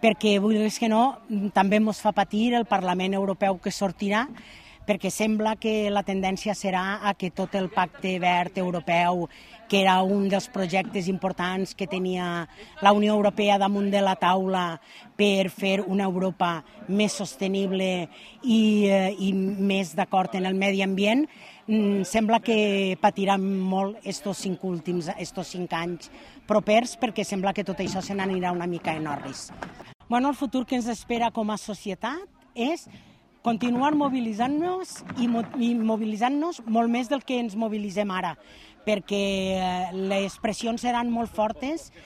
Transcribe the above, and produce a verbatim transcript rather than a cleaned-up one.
perquè, vulguis que no, també ens fa patir el Parlament Europeu que sortirà, perquè sembla que la tendència serà a que tot el pacte verd europeu, que era un dels projectes importants que tenia la Unió Europea damunt de la taula per fer una Europa més sostenible i, eh, i més d'acord en el medi ambient, sembla que patiran molt estos cinc últims, estos cinc anys propers, perquè sembla que tot això se n'anirà una mica en orris. Bueno, el futur que ens espera com a societat és continuar mobilitzant-nos i mobilitzant-nos molt més del que ens mobilitzem ara, perquè les pressions seran molt fortes